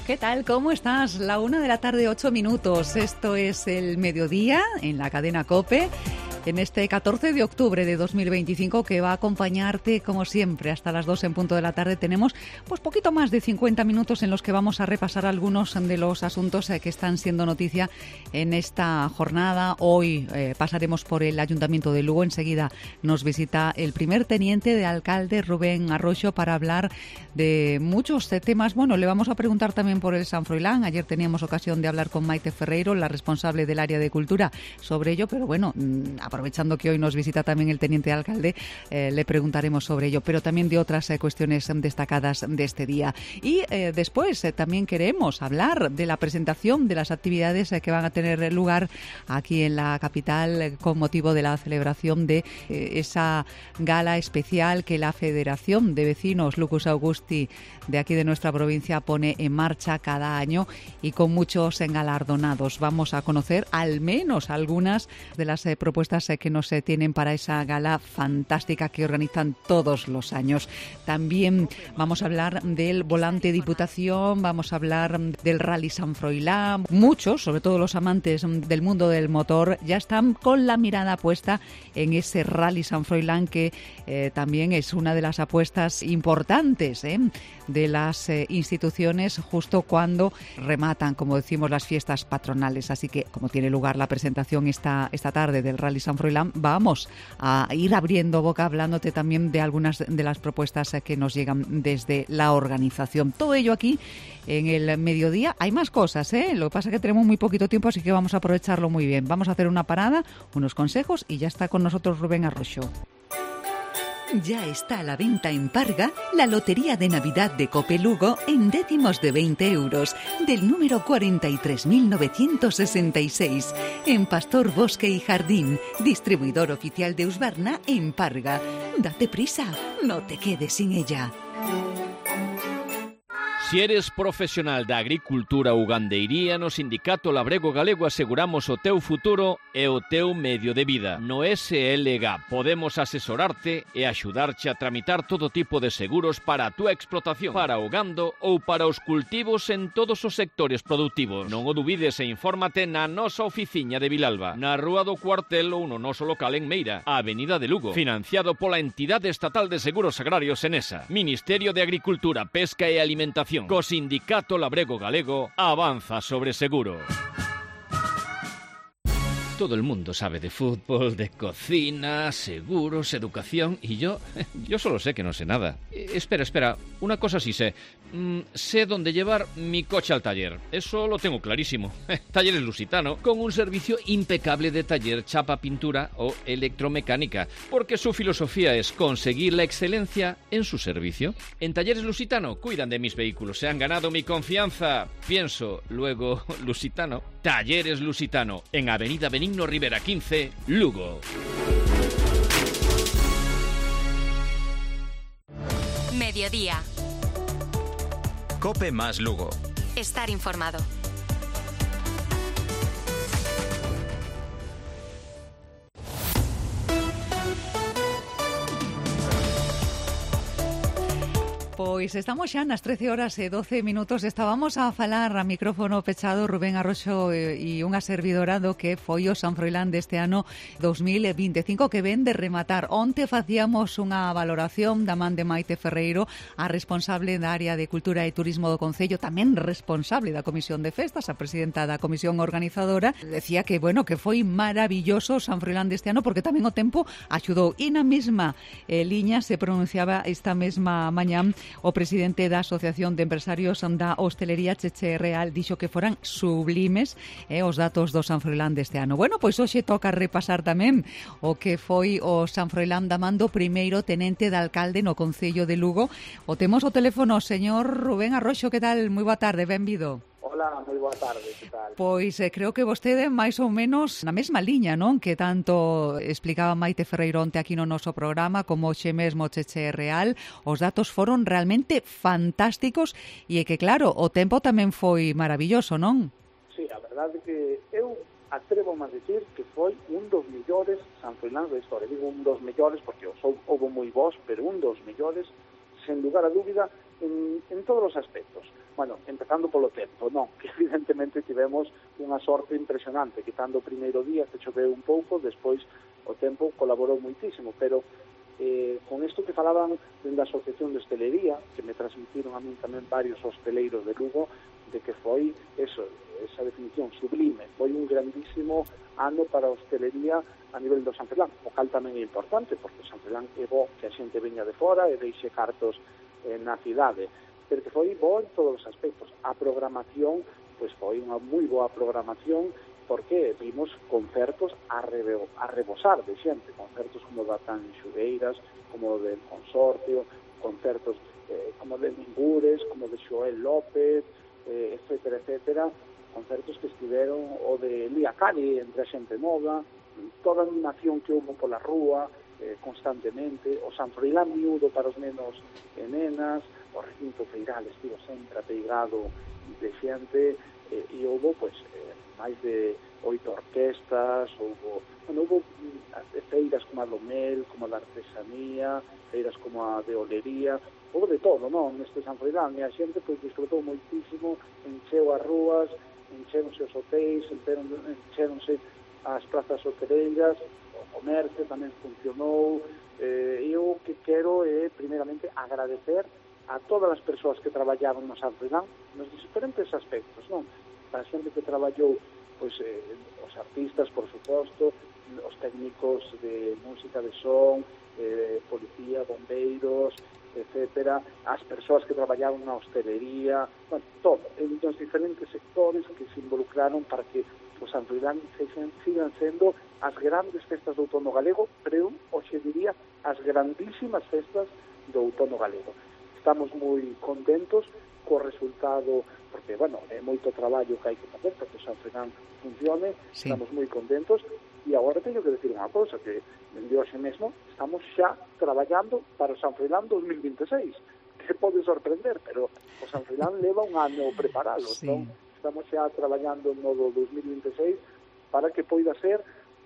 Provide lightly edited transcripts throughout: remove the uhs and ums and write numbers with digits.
¿Qué tal? ¿Cómo estás? La 1:08 p.m. Esto es el mediodía en la cadena COPE. En este 14 de octubre de 2025 que va a acompañarte como siempre hasta las 2 en punto de la tarde. Tenemos pues poquito más de 50 minutos en los que vamos a repasar algunos de los asuntos que están siendo noticia en esta jornada. Hoy pasaremos por el Ayuntamiento de Lugo. Enseguida nos visita el primer teniente de alcalde, Rubén Arroxo, para hablar de muchos temas. Bueno, le vamos a preguntar también por el San Froilán. Ayer teníamos ocasión de hablar con Maite Ferreiro, la responsable del área de cultura, sobre ello, pero bueno, aprovechando que hoy nos visita también el teniente alcalde, le preguntaremos sobre ello, pero también de otras cuestiones destacadas de este día. Y después también queremos hablar de la presentación de las actividades que van a tener lugar aquí en la capital con motivo de la celebración de esa gala especial que la Federación de Vecinos Lucus Augusti de aquí de nuestra provincia pone en marcha cada año y con muchos galardonados. Vamos a conocer al menos algunas de las propuestas que nos tienen para esa gala fantástica que organizan todos los años. También vamos a hablar del volante Diputación, vamos a hablar del Rally San Froilán. Muchos, sobre todo los amantes del mundo del motor, ya están con la mirada puesta en ese Rally San Froilán que también es una de las apuestas importantes de las instituciones justo cuando rematan, como decimos, las fiestas patronales. Así que, como tiene lugar la presentación esta tarde del Rally San Froilán, vamos a ir abriendo boca hablándote también de algunas de las propuestas que nos llegan desde la organización. Todo ello aquí en el mediodía. Hay más cosas, lo que pasa es que tenemos muy poquito tiempo, así que vamos a aprovecharlo muy bien. Vamos a hacer una parada, unos consejos y ya está con nosotros Rubén Arroxo. Ya está a la venta en Parga la Lotería de Navidad de Cope Lugo en décimos de 20 euros, del número 43.966, en Pastor Bosque y Jardín, distribuidor oficial de Husqvarna en Parga. Date prisa, no te quedes sin ella. Si eres profesional da agricultura ou gandeiría, no Sindicato Labrego Galego aseguramos o teu futuro e o teu medio de vida. No SLG podemos asesorarte e axudarche a tramitar todo tipo de seguros para a túa explotación, para o gando ou para os cultivos en todos os sectores productivos. Non o dubides e infórmate na nosa oficiña de Vilalba, na Rúa do Cuartel ou no noso local en Meira, a Avenida de Lugo, financiado pola Entidade Estatal de Seguros Agrarios Enesa, Ministerio de Agricultura, Pesca e Alimentación. Co Sindicato Labrego Galego avanza sobre seguro. Todo el mundo sabe de fútbol, de cocina, seguros, educación y yo solo sé que no sé nada. Espera, una cosa sí sé. Sé dónde llevar mi coche al taller. Eso lo tengo clarísimo. Talleres Lusitano, con un servicio impecable de taller, chapa, pintura o electromecánica, porque su filosofía es conseguir la excelencia en su servicio. En Talleres Lusitano cuidan de mis vehículos, se han ganado mi confianza. Pienso, luego, Lusitano. Talleres Lusitano, en Avenida Benigno Rivera 15, Lugo. Mediodía. COPE más Lugo. Estar informado. Pois estamos xa nas 13:12 p.m. Estábamos a falar a micrófono pechado Rubén Arroxo e unha servidora do que foi o San Froilán deste ano 2025 que ven de rematar. Onte facíamos unha valoración da man de Maite Ferreiro, a responsable da área de Cultura e Turismo do Concello, tamén responsable da Comisión de Festas, a presidenta da Comisión Organizadora. Decía que, bueno, que foi maravilloso o San Froilán deste ano porque tamén o tempo axudou. E na mesma liña se pronunciaba esta mesma mañán o presidente da Asociación de Empresarios da Hostelería, Cheche Real, dixo que foran sublimes os datos do San Froilán deste ano. Bueno, pois hoxe toca repasar tamén o que foi o San Froilán da man do primeiro tenente de alcalde no Concello de Lugo. O temos o teléfono, señor Rubén Arroxo, que tal? Moi boa tarde, benvido. Hola, moi boa tarde, que tal? Pois creo que vostede máis ou menos na mesma liña, non? Que tanto explicaba Maite Ferreiro onte aquí no noso programa como xe mesmo Cheche Real. Os datos foron realmente fantásticos e é que claro, o tempo tamén foi maravilloso, non? Sí, a verdade que eu atrevo a decir que foi un dos mellores San Froilán da historia. Digo un dos mellores porque houve moi bons, pero un dos mellores, sen lugar a dúbida, en todos os aspectos. Bueno, empezando polo tempo, non, que evidentemente tivemos unha sorte impresionante, quitando o primeiro día que choveu un pouco, despois o tempo colaborou moitísimo, pero con isto que falaban da Asociación de Hostelería, que me transmitiron a min tamén varios hosteleiros de Lugo, de que foi esa definición sublime, foi un grandísimo ano para a hostelería a nivel do San Froilán, o cal tamén é importante, porque San Froilán é bo que a xente veña de fora e deixe cartos na cidade, pero que foi bo en todos os aspectos. A programación, pois foi unha moi boa programación, porque vimos concertos a rebosar de xente, concertos como da Tan Xuveiras, como del Consorcio, concertos como de Ningures, como de Xoel López, etcétera, etcétera, concertos que estiveron o de Lía Cari entre a xente nova, toda a animación que houve pola rúa constantemente, o San Froilán miúdo para os nenos e nenas, o recinto feiral estivo sempre apeigado de xente, e houve pois máis de 8 orquestas, houve feiras como a do mel, como a da artesanía, feiras como a de olería, houve de todo, non, neste San Froilán, e a xente pois disfrutou moitísimo, encheu as rúas, encheronse os hotéis, encheronse as plazas hoteleiras, o comercio tamén funcionou, e eu que quero é, primeiramente, agradecer a todas as persoas que traballaban no San Froilán nos diferentes aspectos, non? A xente que traballou, pois, os artistas, por suposto, os técnicos de música de son, policía, bombeiros, etcétera, as persoas que traballaban na hostelería, bueno, todo, en os diferentes sectores que se involucraron para que o San Froilán sigan sendo as grandes festas do outono galego, pero hoxe diría as grandísimas festas do outono galego. Estamos moi contentos co resultado, porque, bueno, é moito traballo que hai que facer para que o San Froilán funcione, sí. Estamos moi contentos, e agora teño que decir unha cousa, que dende hoxe mesmo estamos xa traballando para o San Froilán 2026, que pode sorprender, pero o San Froilán leva un ano preparado, sí. Entón estamos xa traballando no do 2026 para que poida ser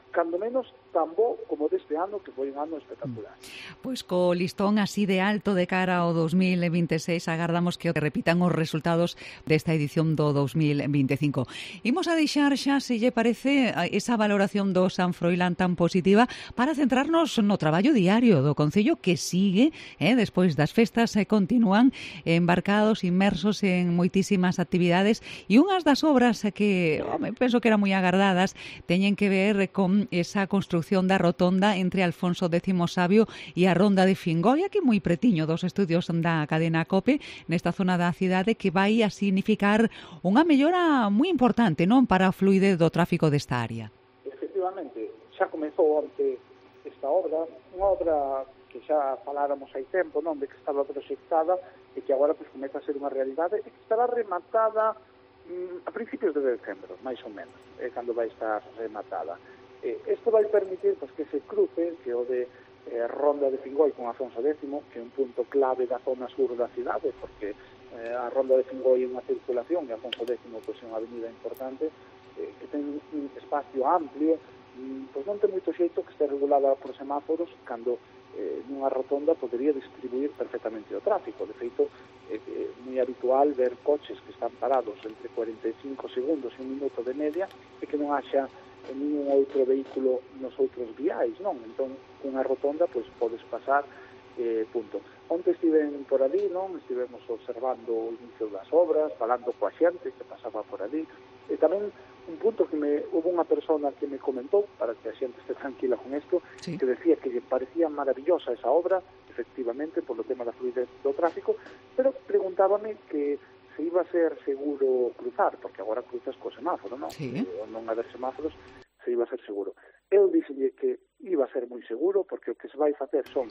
cando menos tan bo como deste ano, que foi un ano espectacular. Pois co listón así de alto de cara ao 2026, agardamos que repitan os resultados desta edición do 2025. Imos a deixar xa, se lle parece, esa valoración do San Froilán tan positiva para centrarnos no traballo diario do Concello, que sigue, despois das festas, continúan embarcados, inmersos en moitísimas actividades, e unhas das obras que, penso que eran moi agardadas, teñen que ver con esa construcción da rotonda entre Alfonso X Sabio e a Ronda de Fingoi, aquí moi pretiño dos estudios da cadena COPE, nesta zona da cidade, que vai a significar unha mellora moi importante, non, para a fluidez do tráfico desta área. Efectivamente, xa comezou ante esta obra, unha obra que xa faláramos hai tempo, non, de que estaba proxectada e que agora pues, comeza a ser unha realidade e que estará rematada a principios de decembro, máis ou menos, cando vai estar rematada. Isto vai permitir pues, que se cruce, que o de Ronda de Fingoi con Alfonso X, que é un punto clave da zona sur da cidade, porque a Ronda de Fingoi é unha circulación e Alfonso X pues, é unha avenida importante, que ten un espacio amplio, pois non ten moito xeito que este regulada por semáforos, cando nunha rotonda podería distribuir perfectamente o tráfico. De feito, é moi habitual ver coches que están parados entre 45 segundos e un minuto de media e que non haxa ningún outro vehículo nos outros viais, non? Entón, cunha rotonda, pois, podes pasar, punto. Onte estiven por ali, non? Estivemos observando o inicio das obras, falando coa xente que pasaba por ali, e tamén un punto que hubo unha persona que me comentou, para que a xente este tranquila con isto, sí. Que decía que lle parecía maravillosa esa obra, efectivamente, polo tema da fluidez do tráfico, pero preguntábame que se iba a ser seguro cruzar, porque agora cruzas co semáforo, non? Sí. Non haber semáforos, se iba a ser seguro. Eu dixelle que iba a ser moi seguro, porque o que se vai facer son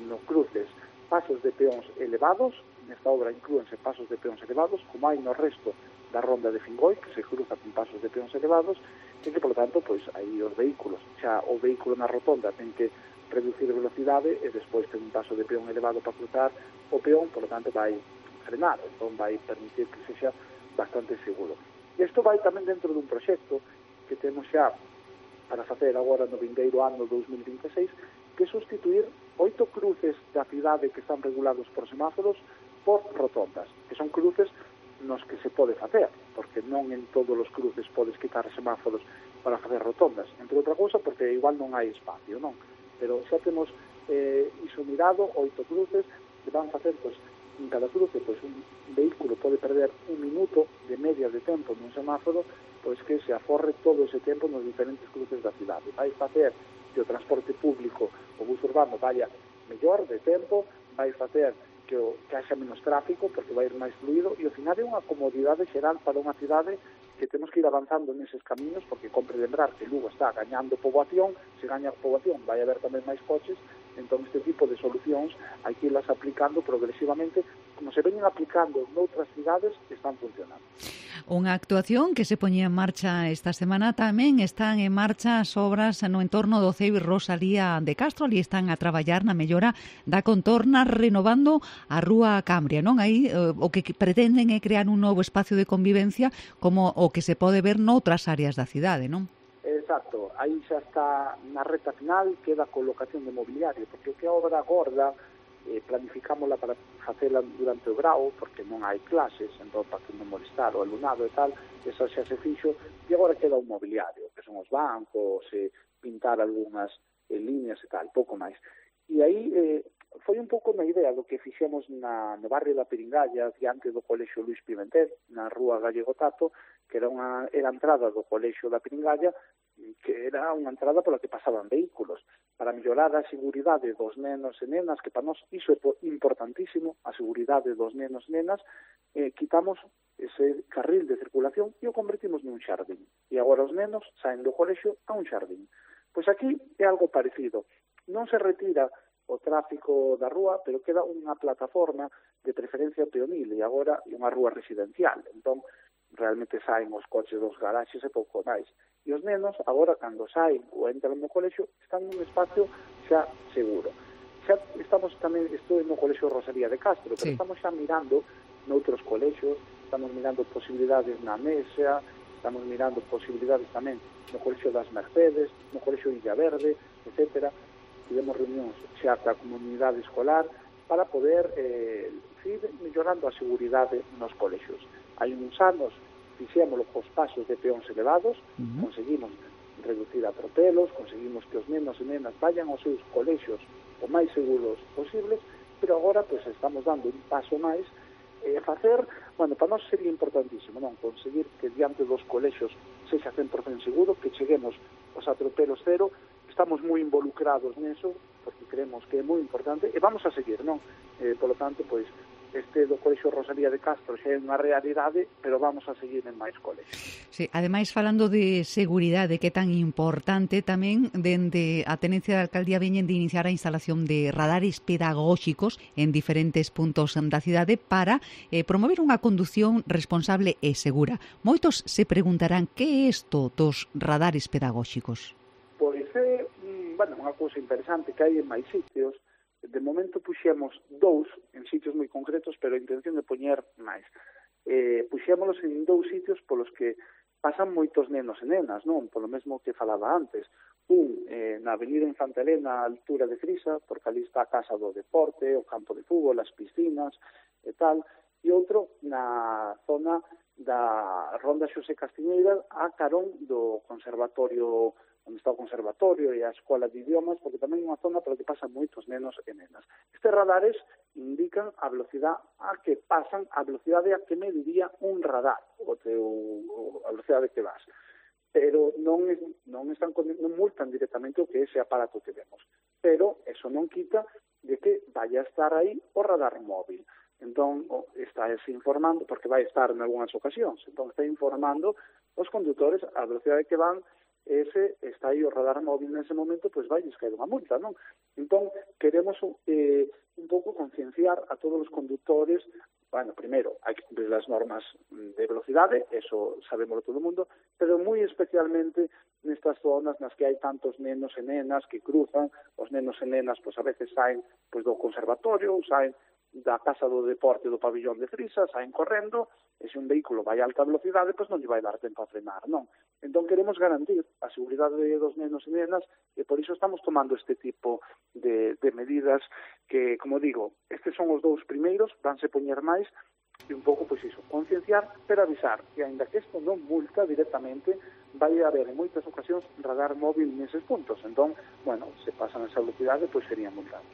no cruces pasos de peóns elevados, nesta obra inclúense pasos de peóns elevados, como hai no resto da Ronda de Fingoi, que se cruza con pasos de peóns elevados, e que, por tanto, pois, aí os vehículos, xa o vehículo na rotonda ten que reducir a velocidade e despois ten un paso de peón elevado para cruzar o peón, por lo tanto, vai frenar, entón vai permitir que sexa bastante seguro. E isto vai tamén dentro dun proxecto que temos xa para facer agora no vindeiro ano 2026, que é sustituir 8 cruces da cidade que están regulados por semáforos por rotondas, que son cruces nos que se pode facer, porque non en todos os cruces podes quitar semáforos para facer rotondas, entre outra cousa porque igual non hai espacio, non? Pero xa temos iso mirado, 8 cruces, que van facer, pois, en cada cruce, pois, un vehículo pode perder 1 minuto de media de tempo nun semáforo, pois que se aforre todo ese tempo nos diferentes cruces da cidade. Vai facer que o transporte público, o bus urbano, vaya mellor de tempo, vai facer que haxa menos tráfico porque vai ir máis fluido e ao final é unha comodidade xeral para unha cidade que temos que ir avanzando neses camiños porque compre lembrar que Lugo está gañando poboación, se gaña poboación vai haber tamén máis coches, entón este tipo de solucións hai que irlas aplicando progresivamente como se veñen aplicando noutras cidades que están funcionando. Unha actuación que se poñía en marcha esta semana, tamén están en marcha as obras no entorno do CEIB Rosalía de Castro, ali están a traballar na mellora da contorna renovando a Rúa Cambria, non? Aí o que pretenden é crear un novo espacio de convivencia como o que se pode ver noutras áreas da cidade, non? Exacto, aí xa está na reta final, queda a colocación de mobiliario, porque o que a obra gorda planificámola para facela durante o grau, porque non hai clases, entón para que non molestar o alumnado e tal, eso xa se fixo, e agora queda un mobiliario, que son os bancos, pintar algunhas líneas e tal, pouco máis. E aí foi un pouco na idea do que fixemos no barrio da Piringalla, diante do Colexio Luís Pimentel, na rúa Gallego Tato, que era a entrada do Colexio da Piringalla, que era unha entrada pola que pasaban vehículos, para mellorar a seguridade dos nenos e nenas, que para nós iso é importantísimo, a seguridade dos nenos e nenas, quitamos ese carril de circulación e o convertimos nun xardín. E agora os nenos saen do colexio a un xardín. Pois aquí é algo parecido. Non se retira o tráfico da rúa, pero queda unha plataforma de preferencia peonil e agora é unha rúa residencial. Entón, realmente saen os coches dos garaxes e pouco máis. E os nenos, agora, cando saen ou entran no colexio, están nun espacio xa seguro. Xa estamos tamén, estou no colexio Rosalía de Castro, pero estamos xa mirando noutros colexios, estamos mirando posibilidades na Mesa, estamos mirando posibilidades tamén no colexio das Mercedes, no colexio Illa Verde, etc. Tivemos reunións xa ca comunidade escolar para poder ir mellorando a seguridade nos colexios. Hai uns anos fixémolo cos pasos de peóns elevados, conseguimos reducir atropelos, conseguimos que os nenos e nenas vayan aos seus colexios o máis seguros posibles, pero agora pues, estamos dando un paso máis facer, bueno, para nós sería importantísimo, non? Conseguir que diante dos colexios sexa 100% seguro, que cheguemos aos atropelos cero, estamos moi involucrados neso, porque creemos que é moi importante, e vamos a seguir, non? Por lo tanto, pois, este do Colexio Rosalía de Castro xa é unha realidade, pero vamos a seguir en máis colexios. Sí, ademais, falando de seguridade, que é tan importante, tamén dende a Tenencia de Alcaldía veñen de iniciar a instalación de radares pedagóxicos en diferentes puntos da cidade para promover unha condución responsable e segura. Moitos se preguntarán que é isto dos radares pedagóxicos? Pois é, unha cousa interesante que hai en máis sitios. De momento puxemos 2 en sitios moi concretos, pero a intención de poñer máis. Puxémolos en 2 sitios polos que pasan moitos nenos e nenas, non? Polo mesmo que falaba antes. Na Avenida Infanta Elena, a altura de Frisa, porque ali está a Casa do Deporte, o campo de fútbol, as piscinas e tal. E outro na zona da Ronda Xosé Castiñeira, a carón do conservatorio, onde está o conservatorio e a escola de idiomas, porque tamén é unha zona pela que pasan moitos nenos e nenas. Estes radares indican a velocidade a que pasan, a velocidade a que mediría un radar, a velocidade que vas. Pero non multan directamente o que ese aparato que vemos. Pero eso non quita de que vaya a estar aí o radar móvil. Entón, está informando, porque vai estar en algunhas ocasións, entón está informando os condutores a velocidade que van. Ese está aí o radar móvil nese momento, pois vai caer unha multa, non? Entón, queremos un pouco concienciar a todos os condutores. Bueno, primeiro, hai que cumprir as normas de velocidade, eso sabémoslo todo o mundo, pero moi especialmente nestas zonas nas que hai tantos nenos e nenas que cruzan, os nenos e nenas, pois a veces saen pois do conservatorio, ou saen da Casa do Deporte do Pabillón de Frisa, saen correndo, e se un vehículo vai a alta velocidade, pois non lle vai dar tempo a frenar, non? Entón queremos garantir a seguridade dos nenos e nenas, e por iso estamos tomando este tipo de medidas que, como digo, estes son os 2 primeiros, vanse poñer máis, e un pouco, pois iso, concienciar, pero avisar que, aínda que isto non multa directamente, vai haber en moitas ocasións radar móvil neses puntos. Entón, bueno, se pasan esa velocidade, pois serían multados.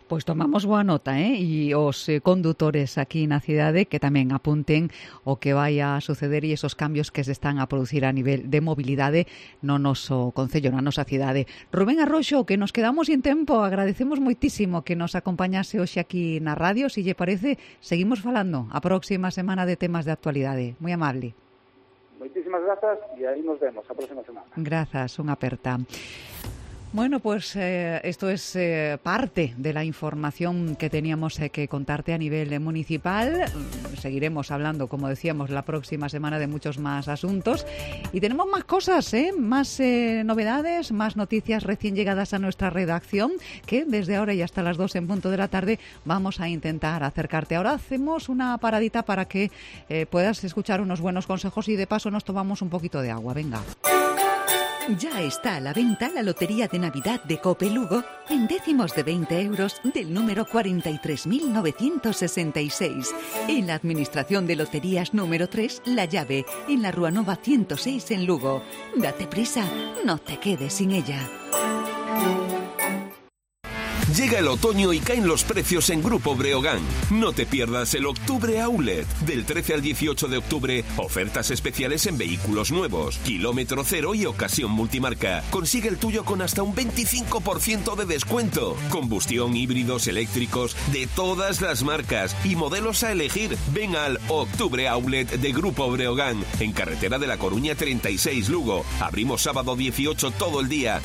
Pois tomamos boa nota, e os condutores aquí na cidade que tamén apunten o que vai a suceder e esos cambios que se están a producir a nivel de mobilidade no noso concello, na nosa cidade. Rubén Arroxo, que nos quedamos sin tempo, agradecemos moitísimo que nos acompañase hoxe aquí na radio. Se lle parece, seguimos falando a próxima semana de temas de actualidade. Moi amable. Moitísimas grazas e aí nos vemos a próxima semana. Grazas, unha aperta. Bueno, pues esto es parte de la información que teníamos que contarte a nivel municipal. Seguiremos hablando, como decíamos, la próxima semana de muchos más asuntos. Y tenemos más cosas, más novedades, más noticias recién llegadas a nuestra redacción, que desde ahora y hasta las 2 en punto de la tarde vamos a intentar acercarte. Ahora hacemos una paradita para que puedas escuchar unos buenos consejos y de paso nos tomamos un poquito de agua. Venga. Ya está a la venta la Lotería de Navidad de Cope Lugo en décimos de 20 euros del número 43.966. En la Administración de Loterías número 3, La Llave, en la Rúa Nova 106 en Lugo. Date prisa, no te quedes sin ella. Llega el otoño y caen los precios en Grupo Breogán. No te pierdas el Octubre Outlet. Del 13 al 18 de octubre, ofertas especiales en vehículos nuevos, kilómetro cero y ocasión multimarca. Consigue el tuyo con hasta un 25% de descuento. Combustión, híbridos, eléctricos, de todas las marcas y modelos a elegir. Ven al Octubre Outlet de Grupo Breogán, en carretera de La Coruña 36 Lugo. Abrimos sábado 18 todo el día.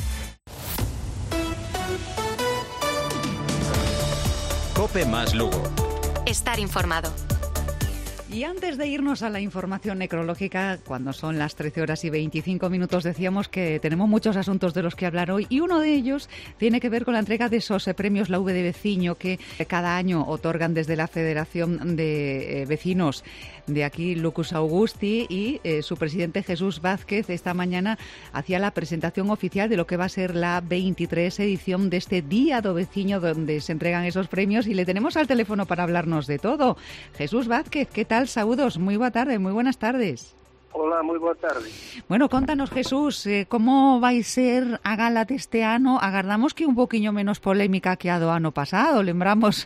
Cope más Lugo. Estar informado. Y antes de irnos a la información necrológica, cuando son las 13 horas y 25 minutos, decíamos que tenemos muchos asuntos de los que hablar hoy y uno de ellos tiene que ver con la entrega de esos premios La V de Veciño que cada año otorgan desde la Federación de Vecinos de aquí, Lucus Augusti, y su presidente Jesús Vázquez esta mañana hacía la presentación oficial de lo que va a ser la 23 edición de este Día do Veciño, donde se entregan esos premios, y le tenemos al teléfono para hablarnos de todo. Jesús Vázquez, ¿qué tal? Saúdos, moi boa tarde, moi buenas tardes. Hola, moi boa tarde. Bueno, contanos, Jesús, como vai ser a gala deste ano? Agardamos que un poquinho menos polémica que a do ano pasado. Lembramos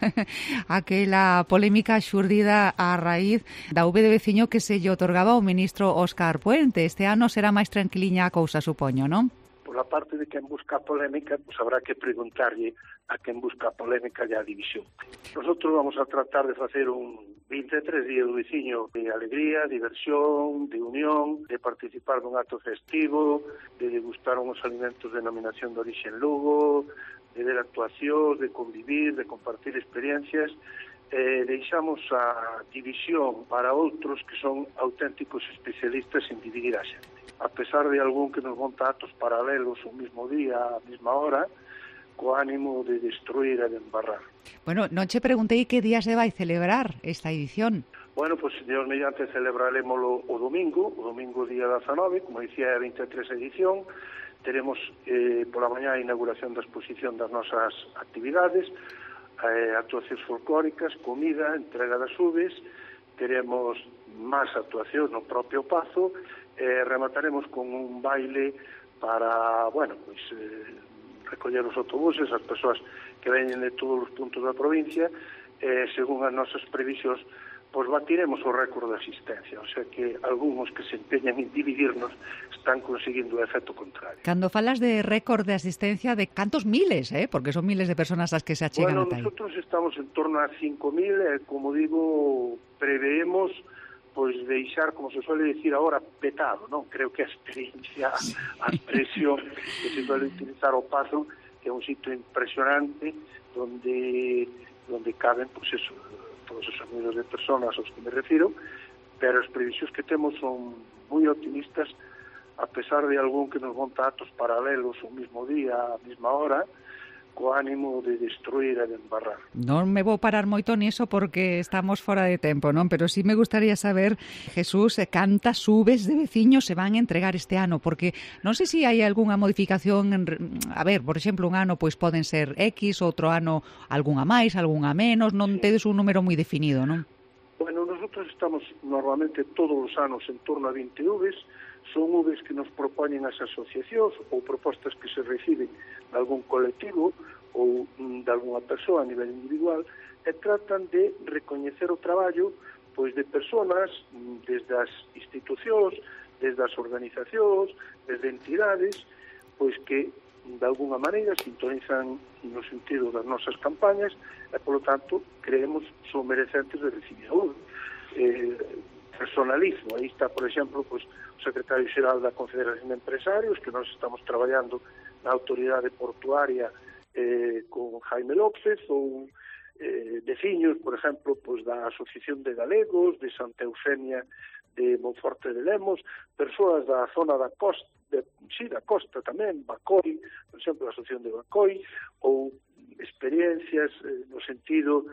aquela polémica xurdida a raíz da V de Veciño que se lle otorgaba ao ministro Óscar Puente. Este ano será máis tranquiliña a cousa, supoño, non? Por la parte de quen busca polémica, pues habrá que preguntarlle a quen busca polémica e a división. Nosotros vamos a tratar de facer un 23 días do veciño de alegría, diversión, de unión, de participar dun acto festivo, de degustar uns alimentos de denominación de orixe en Lugo, de ver actuacións, de convivir, de compartir experiencias. Deixamos a división para outros que son auténticos especialistas en dividir a xente. A pesar de algún que nos monta actos paralelos o mismo día, a mesma hora, co ánimo de destruir e de embarrar. Bueno, non che preguntei que día se vai celebrar esta edición. Bueno, pues Dios mediante celebraremoslo o domingo día 19, como dicía, é a 23 edición. Teremos pola mañá a inauguración da exposición das nosas actividades, actuacións folclóricas, comida, entrega das uves, teremos máis actuacións no propio Pazo, remataremos con un baile para, bueno, pues recoller os autobuses, as persoas que veñen de todos os puntos da provincia, según as nosas previsións, pois batiremos o récord de asistencia, o sea que algúns que se empeñan en dividirnos están conseguindo o efecto contrario. Cando falas de récord de asistencia, de cantos miles, porque son miles de personas as que se achegan ata aí. Bueno, nosotros estamos en torno a 5.000, como digo, preveemos pois deixar, como se suele decir ahora, petado, non? Creo que a experiencia, a expresión que se suele utilizar o Pazo, que é un sitio impresionante donde caben, pois eso, todos esos miles de personas aos que me refiro, pero as previsións que temos son moi optimistas, a pesar de algún que nos monta actos paralelos o mismo día, a mesma hora, co ánimo de destruir e de embarrar. Non me vou parar moito niso porque estamos fora de tempo, non? Pero sí me gustaría saber, Jesús, cantas subes de veciños se van a entregar este ano, porque non sei se hai algunha modificación, a ver, por exemplo, un ano pois poden ser X, outro ano algunha máis, algunha menos, non tedes un número moi definido, non? Bueno, nosotros estamos normalmente todos os anos en torno a 20 uves, son uves que nos propoñen as asociacións ou propostas que se reciben de algún colectivo ou de algunha persoa a nivel individual e tratan de recoñecer o traballo pois de persoas desde as institucións, desde as organizacións, desde entidades, pois que de alguna maneira sintonizan no sentido das nosas campañas e, polo tanto, creemos son merecentes de recibir a uve. Personalismo, aí está, por exemplo, pois, o secretario xeral da Confederación de Empresarios, que nós estamos traballando na autoridade portuaria con Jaime López, ou veciños, por exemplo, pois, da Asociación de Galegos, de Santa Eufemia de Monforte de Lemos, persoas da zona da costa, da costa tamén, Bacoi, por exemplo, a Asociación de Bacoi, ou experiencias no sentido,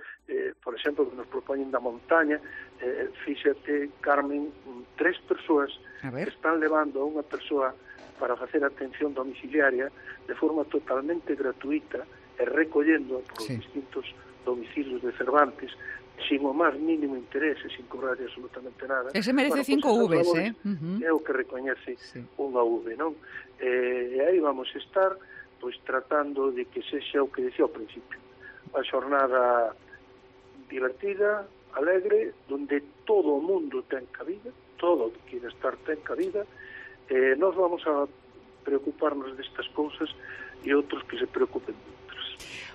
por exemplo, que nos propoñen da montaña, fíxate, Carmen, 3 persoas que están levando a unha persoa para facer atención domiciliaria de forma totalmente gratuita e recollendo por distintos domicilios de Cervantes sin o máis mínimo interese, sin cobrar absolutamente nada. Ese merece 5 uves, É o que recoñece unha uve, non? E aí vamos estar pois tratando de que sexa o que decía ao principio, a xornada divertida, alegre, donde todo o mundo ten cabida, todo o que quere estar ten cabida, nós vamos a preocuparnos destas cousas e outros que se preocupen de outras.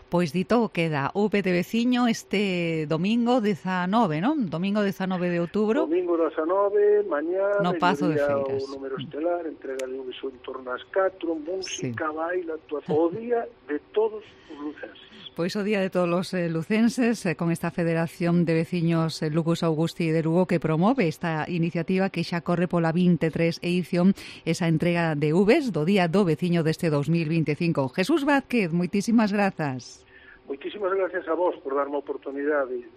Pois dito queda V de veciño este domingo 19, non? Domingo 19 de outubro. Domingo 19, mañá, no Pazo de Feiras. O número estelar, entrega de uves en torno ás 4, música, baile, actuación, o día de todos os lucenses. Pois o día de todos os lucenses, con esta Federación de Veciños Lucus Augusti de Lugo que promove esta iniciativa que xa corre pola 23 edición, esa entrega de uves do Día do Veciño deste 2025. Jesús Vázquez, moitísimas grazas. Moitísimas gracias a vos por darme a oportunidade de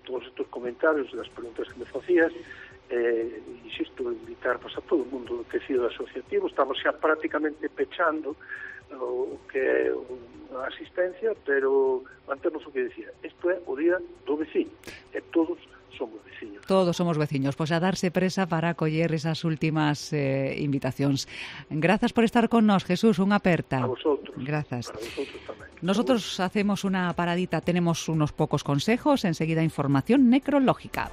todos estes comentarios e das preguntas que me facías. Insisto, invitar a todo o mundo do tecido asociativo. Estamos xa prácticamente pechando o que é a asistencia, pero mantemos o que decía. Isto é o Día do Veciño e todos somos veciños. Todos somos veciños, pois a darse presa para acoller esas últimas invitacións. Grazas por estar con nós, Jesús, unha aperta. A vosotros. Grazas. Para vosotros tamén. Nosotros hacemos una paradita, tenemos unos pocos consejos, enseguida información necrológica.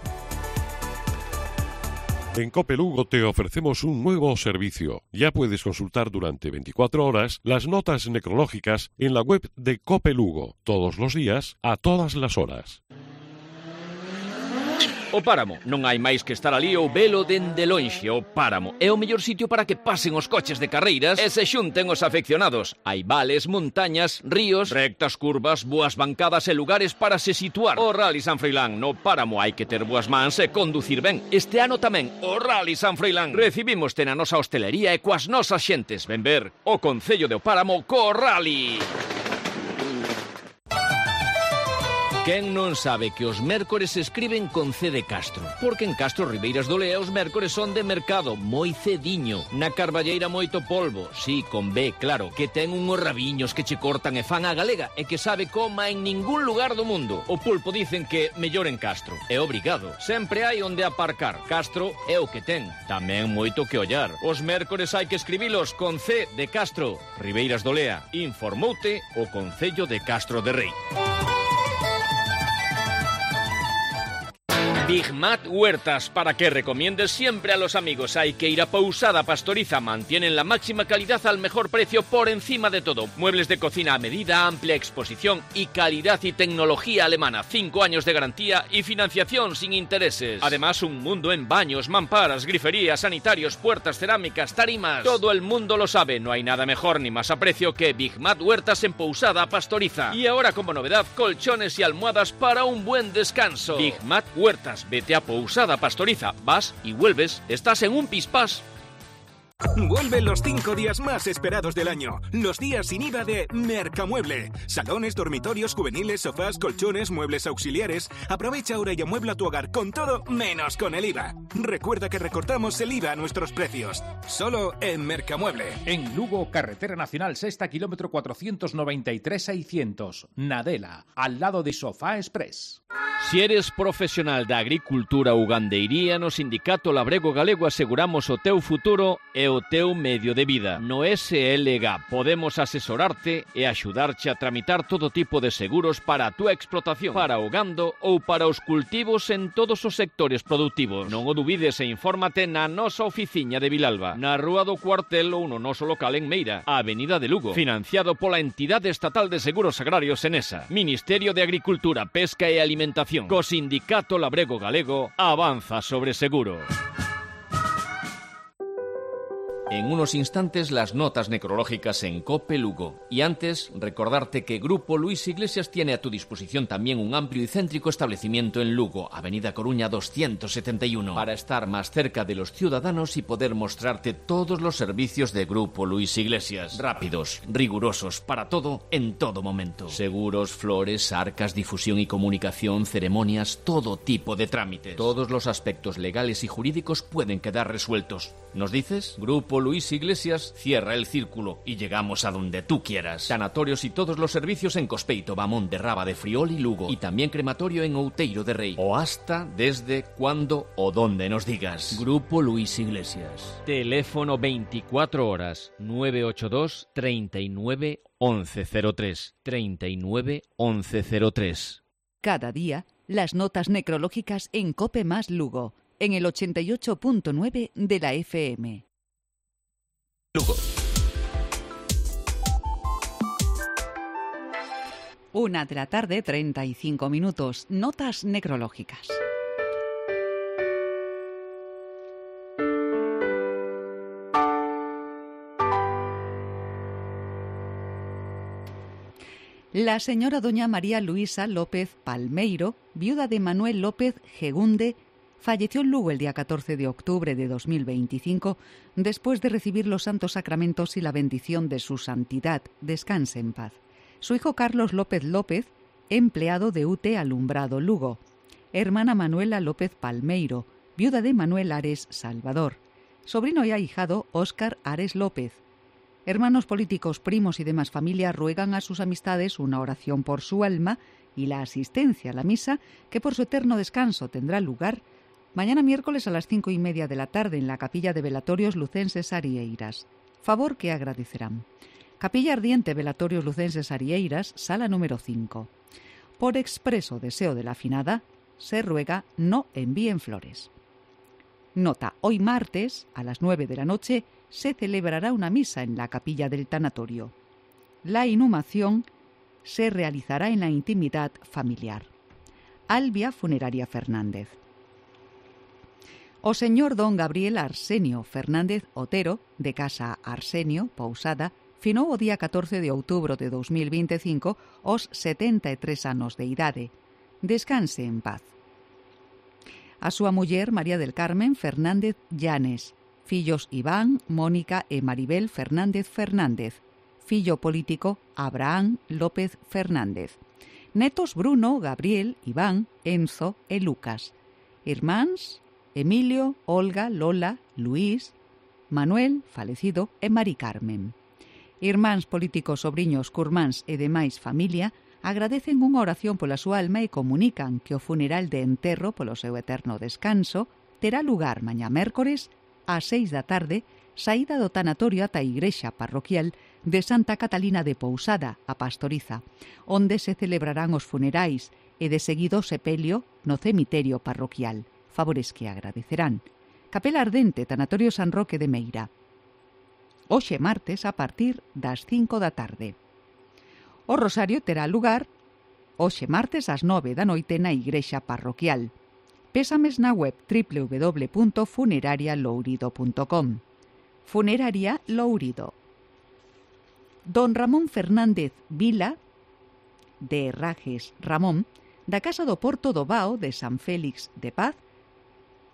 En COPE Lugo te ofrecemos un nuevo servicio. Ya puedes consultar durante 24 horas las notas necrológicas en la web de COPE Lugo, todos los días, a todas las horas. O Páramo, non hai máis que estar ali ou velo dende lonxe. O Páramo é o mellor sitio para que pasen os coches de carreiras e se xunten os afeccionados. Hai vales, montañas, ríos, rectas curvas, boas bancadas e lugares para se situar. O Rally San Froilán, no Páramo hai que ter boas mans e conducir ben. Este ano tamén, o Rally San Froilán. Recibímoste na nosa hostelería e coas nosas xentes. Ven ver o Concello de O Páramo co Rally. Quen non sabe que os mércores se escriben con C de Castro? Porque en Castro Ribeiras do Lea os mércores son de mercado, moi cediño. Na Carballeira moito polvo, sí, con B, claro, que ten unhos rabiños que che cortan e fan a galega e que sabe coma en ningún lugar do mundo. O pulpo dicen que mellor en Castro. É obrigado. Sempre hai onde aparcar. Castro é o que ten. Tamén moito que ollar. Os mércores hai que escribilos con C de Castro. Ribeiras do Lea. Informoute o Concello de Castro de Rei. Big Mat Huertas, para que recomiendes siempre a los amigos. Hay que ir a Pousada Pastoriza, mantienen la máxima calidad al mejor precio por encima de todo. Muebles de cocina a medida, amplia exposición y calidad y tecnología alemana. 5 años de garantía y financiación sin intereses. Además, un mundo en baños, mamparas, griferías, sanitarios, puertas, cerámicas, tarimas. Todo el mundo lo sabe, no hay nada mejor ni más a precio que Big Mat Huertas en Pousada Pastoriza. Y ahora como novedad, colchones y almohadas para un buen descanso. Big Mat Huertas. Vete a Pousada Pastoriza, vas y vuelves, estás en un pispás. Vuelven los 5 días más esperados del año, los días sin IVA de Mercamueble. Salones, dormitorios, juveniles, sofás, colchones, muebles auxiliares. Aprovecha ahora y amuebla tu hogar con todo menos con el IVA. Recuerda que recortamos el IVA a nuestros precios. Solo en Mercamueble. En Lugo, Carretera Nacional Sexta, kilómetro 493-600. Nadela, al lado de Sofá Express. Si eres profesional da agricultura ou gandeiría, no Sindicato Labrego Galego aseguramos o teu futuro e o teu medio de vida. No SLG podemos asesorarte e axudarche a tramitar todo tipo de seguros para a túa explotación, para o gando ou para os cultivos en todos os sectores productivos. Non o dubides e infórmate na nosa oficiña de Vilalba, na Rúa do Cuartel ou no noso local en Meira, a Avenida de Lugo, financiado pola Entidade Estatal de Seguros Agrarios Enesa, Ministerio de Agricultura, Pesca e Alimentación. Co Sindicato Labrego Galego avanza sobre seguro. En unos instantes las notas necrológicas en COPE Lugo. Y antes, recordarte que Grupo Luis Iglesias tiene a tu disposición también un amplio y céntrico establecimiento en Lugo, Avenida Coruña 271, para estar más cerca de los ciudadanos y poder mostrarte todos los servicios de Grupo Luis Iglesias. Rápidos, rigurosos, para todo, en todo momento. Seguros, flores, arcas, difusión y comunicación, ceremonias, todo tipo de trámites. Todos los aspectos legales y jurídicos pueden quedar resueltos. ¿Nos dices? Grupo Luis Iglesias cierra el círculo y llegamos a donde tú quieras. Sanatorios y todos los servicios en Cospeito, Bamón de Raba de Friol y Lugo. Y también crematorio en Outeiro de Rei. O hasta, desde, cuando o donde nos digas. Grupo Luis Iglesias. Teléfono 24 horas 982 39 1103. 39 1103. Cada día, las notas necrológicas en COPE más Lugo, en el 88.9 de la FM. Lugo. 1 de la tarde, 35 minutos. Notas necrológicas. La señora doña María Luisa López Palmeiro, viuda de Manuel López Gegunde, falleció en Lugo el día 14 de octubre de 2025 después de recibir los santos sacramentos y la bendición de su santidad. Descanse en paz. Su hijo Carlos López López, empleado de UTE Alumbrado Lugo. Hermana Manuela López Palmeiro, viuda de Manuel Ares Salvador. Sobrino y ahijado Óscar Ares López. Hermanos políticos, primos y demás familia ruegan a sus amistades una oración por su alma y la asistencia a la misa que por su eterno descanso tendrá lugar mañana miércoles a las 5:30 de la tarde en la Capilla de Velatorios Lucenses Arieiras. Favor que agradecerán. Capilla Ardiente Velatorios Lucenses Arieiras, sala número 5. Por expreso deseo de la afinada, se ruega no envíen flores. Nota, hoy martes, a las 9 de la noche, se celebrará una misa en la capilla del tanatorio. La inhumación se realizará en la intimidad familiar. Albia Funeraria Fernández. O señor don Gabriel Arsenio Fernández Otero, de Casa Arsenio, Pousada, finou o día 14 de outubro de 2025 os 73 anos de idade. Descanse en paz. A súa muller María del Carmen Fernández Llanes, fillos Iván, Mónica e Maribel Fernández Fernández, fillo político Abraham López Fernández, netos Bruno, Gabriel, Iván, Enzo e Lucas, irmáns Emilio, Olga, Lola, Luís, Manuel, falecido, e Mari Carmen. Irmáns políticos, sobriños, curmáns e demais familia agradecen unha oración pola súa alma e comunican que o funeral de enterro polo seu eterno descanso terá lugar mañá mércores ás 6 da tarde, saída do tanatorio ata a igrexa parroquial de Santa Catalina de Pousada, a Pastoriza, onde se celebrarán os funerais e de seguido o sepelio no cemiterio parroquial. Favores que agradecerán. Capela Ardente, Tanatorio San Roque de Meira. Hoxe martes a partir das 5 da tarde. O rosario terá lugar hoxe martes ás 9 da noite na igrexa parroquial. Pésames na web www.funerarialourido.com. Funeraria Lourido. Don Ramón Fernández Vila, de Herrajes Ramón, da Casa do Porto do Bao de San Félix de Paz,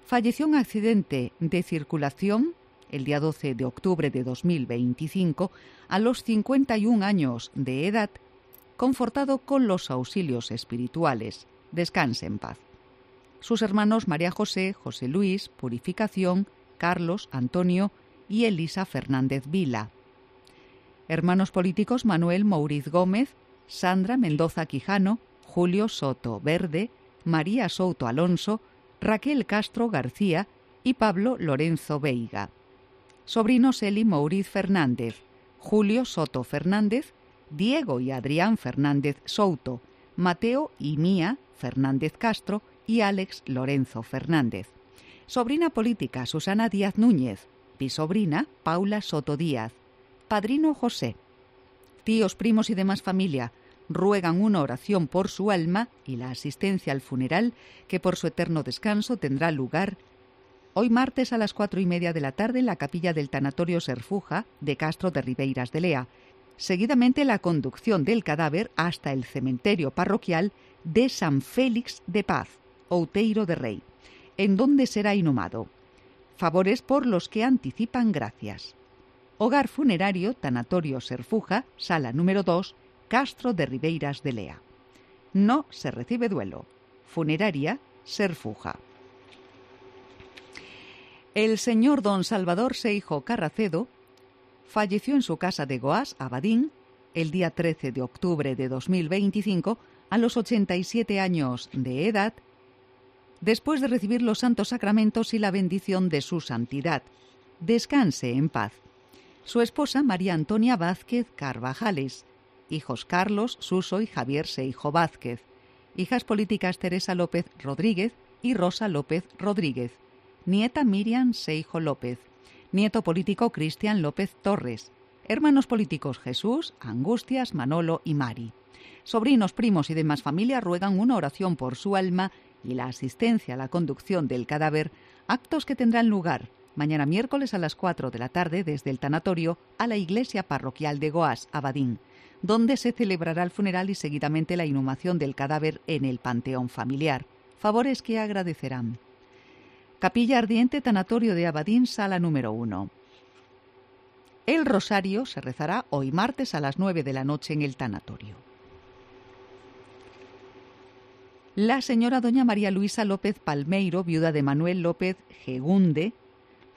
falleció en accidente de circulación el día 12 de octubre de 2025, a los 51 años de edad, confortado con los auxilios espirituales. Descanse en paz. Sus hermanos María José, José Luis, Purificación, Carlos, Antonio y Elisa Fernández Vila. Hermanos políticos Manuel Mouriz Gómez, Sandra Mendoza Quijano, Julio Soto Verde, María Souto Alonso, Raquel Castro García y Pablo Lorenzo Veiga. Sobrinos Eli Mouriz Fernández, Julio Soto Fernández, Diego y Adrián Fernández Souto, Mateo y Mía Fernández Castro y Alex Lorenzo Fernández. Sobrina política Susana Díaz Núñez, bisobrina Paula Soto Díaz, padrino José. Tíos, primos y demás familia ruegan una oración por su alma y la asistencia al funeral que por su eterno descanso tendrá lugar hoy martes a las 4:30 de la tarde en la capilla del Tanatorio Serfuja de Castro de Ribeiras de Lea. Seguidamente la conducción del cadáver hasta el cementerio parroquial de San Félix de Paz, Outeiro de Rei, en donde será inhumado. Favores por los que anticipan gracias. Hogar funerario Tanatorio Serfuja, sala número 2, Castro de Ribeiras de Lea. No se recibe duelo. Funeraria Serfuja. El señor don Salvador Seijo Carracedo falleció en su casa de Goás, Abadín, el día 13 de octubre de 2025, a los 87 años de edad, después de recibir los santos sacramentos y la bendición de su santidad. Descanse en paz. Su esposa María Antonia Vázquez Carvajales, hijos Carlos, Suso y Javier Seijo Vázquez, hijas políticas Teresa López Rodríguez y Rosa López Rodríguez, nieta Miriam Seijo López, nieto político Cristian López Torres, hermanos políticos Jesús, Angustias, Manolo y Mari. Sobrinos, primos y demás familia ruegan una oración por su alma y la asistencia a la conducción del cadáver, actos que tendrán lugar mañana miércoles a las 4 de la tarde desde el tanatorio a la iglesia parroquial de Goás, Abadín, donde se celebrará el funeral y seguidamente la inhumación del cadáver en el panteón familiar. Favores que agradecerán. Capilla Ardiente, Tanatorio de Abadín, sala número 1. El rosario se rezará hoy martes a las 9 de la noche en el tanatorio. La señora doña María Luisa López Palmeiro, viuda de Manuel López Gegunde,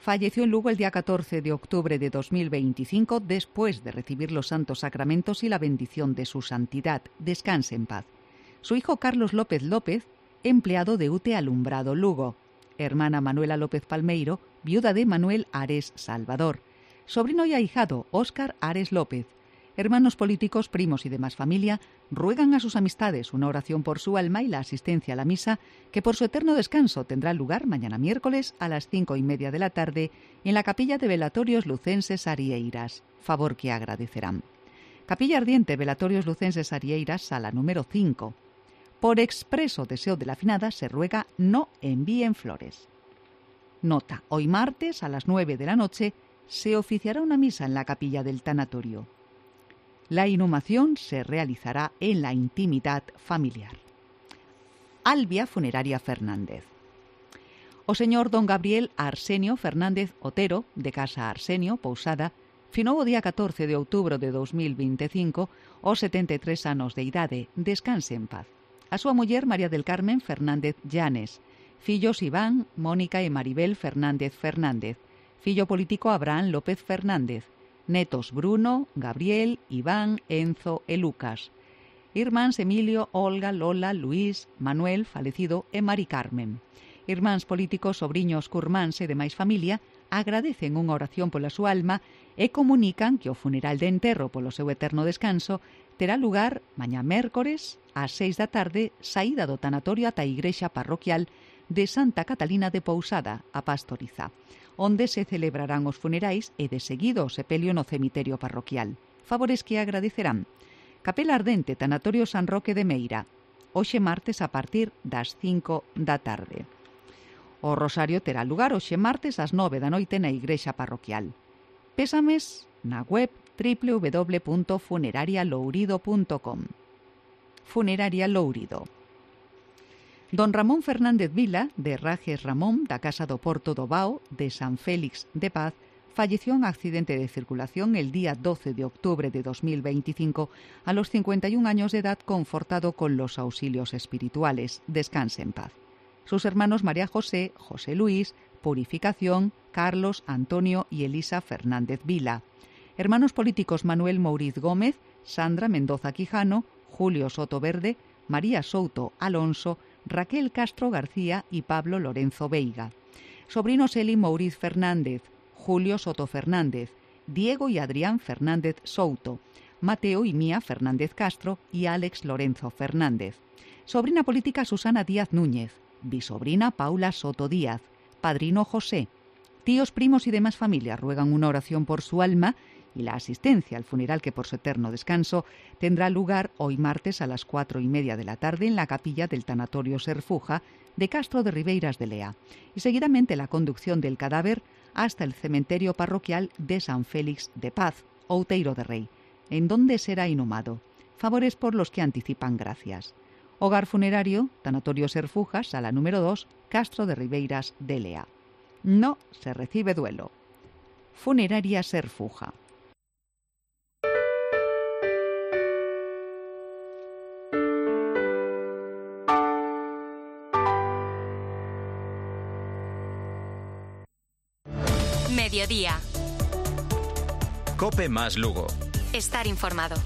falleció en Lugo el día 14 de octubre de 2025 después de recibir los santos sacramentos y la bendición de su santidad. Descanse en paz. Su hijo Carlos López López, empleado de UTE Alumbrado Lugo. Hermana Manuela López Palmeiro, viuda de Manuel Ares Salvador. Sobrino y ahijado Óscar Ares López. Hermanos políticos, primos y demás familia ruegan a sus amistades una oración por su alma y la asistencia a la misa que por su eterno descanso tendrá lugar mañana miércoles a las 5:30 de la tarde en la capilla de Velatorios Lucenses Arieiras. Favor que agradecerán. Capilla Ardiente, Velatorios Lucenses Arieiras, sala número 5. Por expreso deseo de la finada se ruega no envíen flores. Nota: hoy martes a las 9 de la noche se oficiará una misa en la capilla del tanatorio. La inhumación se realizará en la intimidad familiar. Albia Funeraria Fernández. O señor don Gabriel Arsenio Fernández Otero, de Casa Arsenio, Pousada, finou o día 14 de outubro de 2025 aos 73 anos de idade. Descanse en paz. A súa muller María del Carmen Fernández Llanes, fillos Iván, Mónica e Maribel Fernández Fernández, fillo político Abraham López Fernández, netos Bruno, Gabriel, Iván, Enzo e Lucas, irmáns Emilio, Olga, Lola, Luís, Manuel, falecido e Mari Carmen. Irmáns políticos, sobriños, curmáns e demais familia agradecen unha oración pola súa alma e comunican que o funeral de enterro polo seu eterno descanso terá lugar mañá mércores ás 6 da tarde, saída do tanatorio ata a igrexa parroquial de Santa Catalina de Pousada, a Pastoriza, onde se celebrarán os funerais e de seguido o sepelio no cemiterio parroquial. Favores que agradecerán. Capela Ardente, Tanatorio San Roque de Meira, hoxe martes a partir das 5 da tarde. O rosario terá lugar hoxe martes ás 9 da noite na igrexa parroquial. Pésames na web www.funerarialourido.com. Funeraria Lourido. Don Ramón Fernández Vila, de Rajes Ramón, da Casa do Porto do Bao, de San Félix de Paz, falleció en accidente de circulación el día 12 de octubre de 2025 a los 51 años de edad, confortado con los auxilios espirituales. Descanse en paz. Sus hermanos María José, José Luis, Purificación, Carlos, Antonio y Elisa Fernández Vila. Hermanos políticos Manuel Mouriz Gómez, Sandra Mendoza Quijano, Julio Soto Verde, María Souto Alonso, Raquel Castro García y Pablo Lorenzo Veiga. Sobrinos Eli Mouriz Fernández, Julio Soto Fernández, Diego y Adrián Fernández Souto, Mateo y Mía Fernández Castro y Alex Lorenzo Fernández. Sobrina política Susana Díaz Núñez, bisobrina Paula Soto Díaz, padrino José. Tíos, primos y demás familias ruegan una oración por su alma y la asistencia al funeral, que por su eterno descanso tendrá lugar hoy martes a las 4:30 de la tarde en la capilla del Tanatorio Serfuja de Castro de Ribeiras de Lea, y seguidamente la conducción del cadáver hasta el cementerio parroquial de San Félix de Paz, Outeiro de Rei, en donde será inhumado. Favores por los que anticipan gracias. Hogar funerario, Tanatorio Serfuja, sala número 2, Castro de Ribeiras de Lea. No se recibe duelo. Funeraria Serfuja. Mediodía. COPE más Lugo. Estar informado.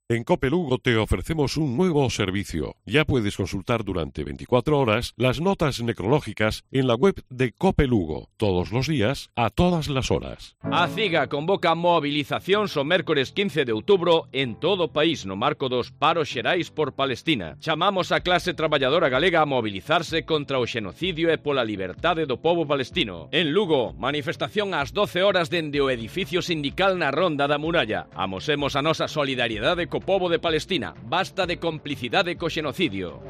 En COPE Lugo te ofrecemos un nuevo servicio. Ya puedes consultar durante 24 horas las notas necrológicas en la web de COPE Lugo, todos los días, a todas las horas. A CIGA convoca movilización o mércores 15 de outubro en todo o país no marco dos paros xerais por Palestina. Chamamos a clase traballadora galega a mobilizarse contra o xenocidio e pola liberdade do pobo palestino. En Lugo, manifestación ás 12 horas dende o edificio sindical na Ronda da Muralla. Amosemos a nosa solidariedade co pobo de Palestina. Basta de complicidade co xenocidio.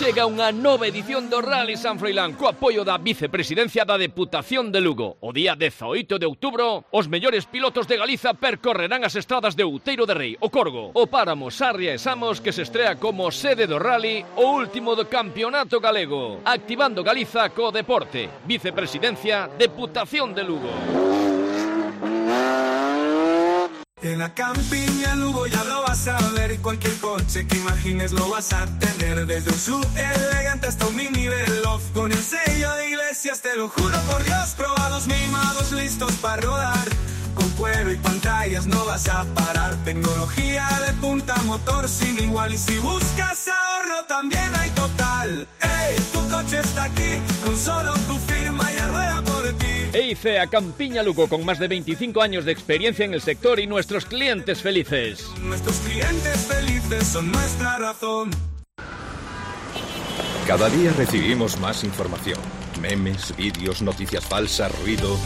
Chega unha nova edición do Rally San Froilán co apoio da Vicepresidencia da Deputación de Lugo. O día 18 de outubro, os mellores pilotos de Galiza percorrerán as estradas de Outeiro de Rei, o Corgo, o Páramo, Sarria e Samos, que se estrea como sede do Rally, o último do Campeonato Galego. Activando Galiza co deporte. Vicepresidencia, Deputación de Lugo. En la campiña Lugo ya lo vas a ver, cualquier coche que imagines lo vas a tener, desde un sub elegante hasta un mini Veloz, con el sello de Iglesias, te lo juro por Dios, probados, mimados, listos para rodar, con cuero y pantallas no vas a parar, tecnología de punta, motor sin igual, y si buscas ahorro también hay total. ¡Ey! Tu coche está aquí, con solo tu firma y rueda por ti. EICEA Campiña Lugo, con más de 25 años de experiencia en el sector y nuestros clientes felices. Nuestros clientes felices son nuestra razón. Cada día recibimos más información. Memes, vídeos, noticias falsas, ruido.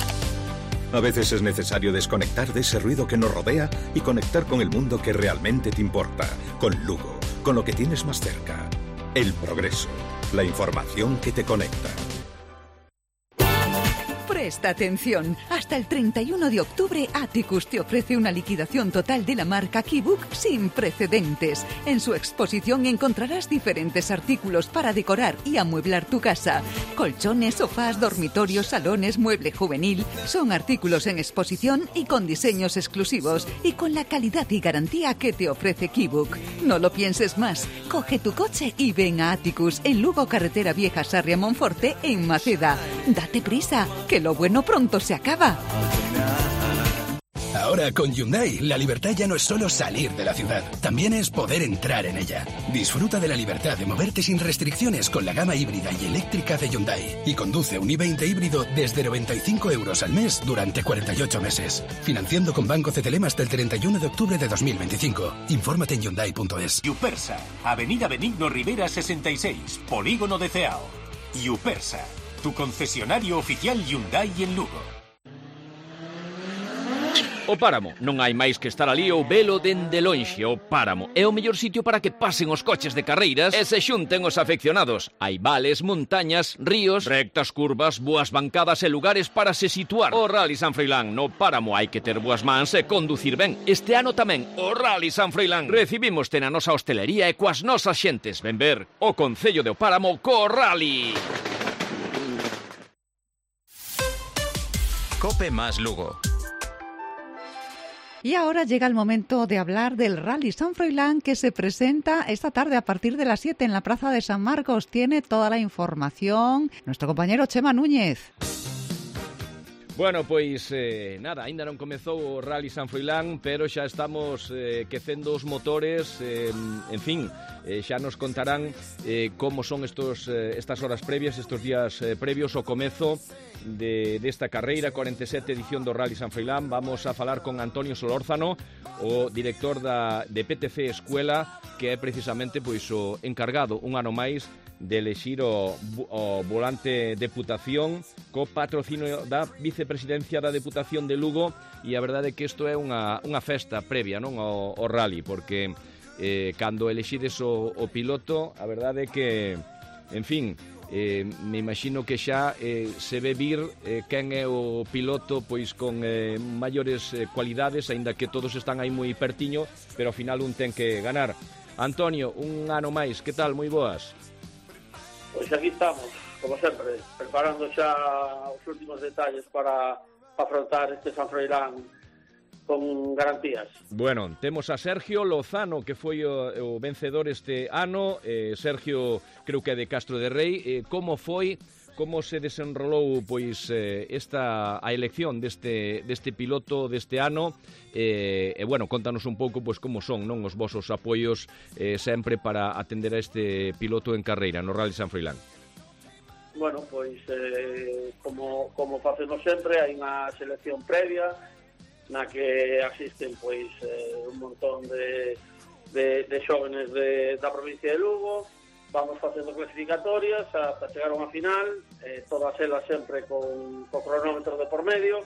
A veces es necesario desconectar de ese ruido que nos rodea y conectar con el mundo que realmente te importa. Con Lugo, con lo que tienes más cerca. El progreso, la información que te conecta. Presta atención, hasta el 31 de octubre Atticus te ofrece una liquidación total de la marca Keybook sin precedentes. En su exposición encontrarás diferentes artículos para decorar y amueblar tu casa. Colchones, sofás, dormitorios, salones, mueble juvenil. Son artículos en exposición y con diseños exclusivos y con la calidad y garantía que te ofrece Keybook. No lo pienses más, coge tu coche y ven a Atticus en Lugo, Carretera Vieja, Sarria, Monforte, en Maceda. Date prisa, que lo bueno pronto se acaba. Ahora con Hyundai, la libertad ya no es solo salir de la ciudad, también es poder entrar en ella. Disfruta de la libertad de moverte sin restricciones con la gama híbrida y eléctrica de Hyundai y conduce un i20 híbrido desde 95 € al mes durante 48 meses. Financiando con Banco CTLM hasta el 31 de octubre de 2025. Infórmate en Hyundai.es. Yupersa, Avenida Benigno Rivera 66, Polígono de Ceao. Yupersa, tu concesionario oficial Hyundai en Lugo. O Páramo, non hai máis que estar ali ou velo dende lonxe. O Páramo é o mellor sitio para que pasen os coches de carreiras e se xunten os afeccionados. Hai vales, montañas, ríos, rectas curvas, boas bancadas e lugares para se situar. O Rally San Froilán no Páramo hai que ter boas mans e conducir ben. Este ano tamén o Rally San Froilán. Recibímoste na nosa hostelería e coas nosas xentes. Ven ver o Concello de O Páramo co Rally. Cope más Lugo. Y ahora llega el momento de hablar del Rally San Froilán, que se presenta esta tarde a partir de las 7 en la Plaza de San Marcos. Tiene toda la información nuestro compañero Chema Núñez. Bueno, pois, nada, ainda non comezou o Rally San Froilán, pero xa estamos quecendo os motores, en fin, xa nos contarán como son estas horas previas, estos días previos ao comezo desta carreira, 47 edición do Rally San Froilán. Vamos a falar con Antonio Solórzano, o director de PTC Escuela, que é precisamente pois o encargado un ano máis de elexir o volante Deputación co patrocinio da vicepresidencia da Deputación de Lugo, e a verdade é que isto é unha festa previa, non, ao rally, porque cando elexides o piloto, a verdade é que, en fin, me imagino que xa se ve vir quen é o piloto pois con maiores cualidades, aínda que todos están aí moi pertiño, pero ao final un ten que ganar. Antonio, un ano máis, que tal? Moi boas. Pois aquí estamos, como sempre, preparando xa os últimos detalles para afrontar este San Froilán con garantías. Bueno, temos a Sergio Lozano, que foi o vencedor este ano. Sergio, creo que é de Castro de Rei. Como foi, como se desenrolou pois a elección deste piloto deste ano? E bueno, contanos un pouco pois como son, non, os vosos apoios sempre para atender a este piloto en carreira no Rally San Froilán. Bueno, pois como facemos sempre, hai unha selección previa na que asisten pois un montón de xóvenes da provincia de Lugo. Vamos facendo clasificatorias hasta chegar a unha final, todas elas sempre con cronómetro de por medio,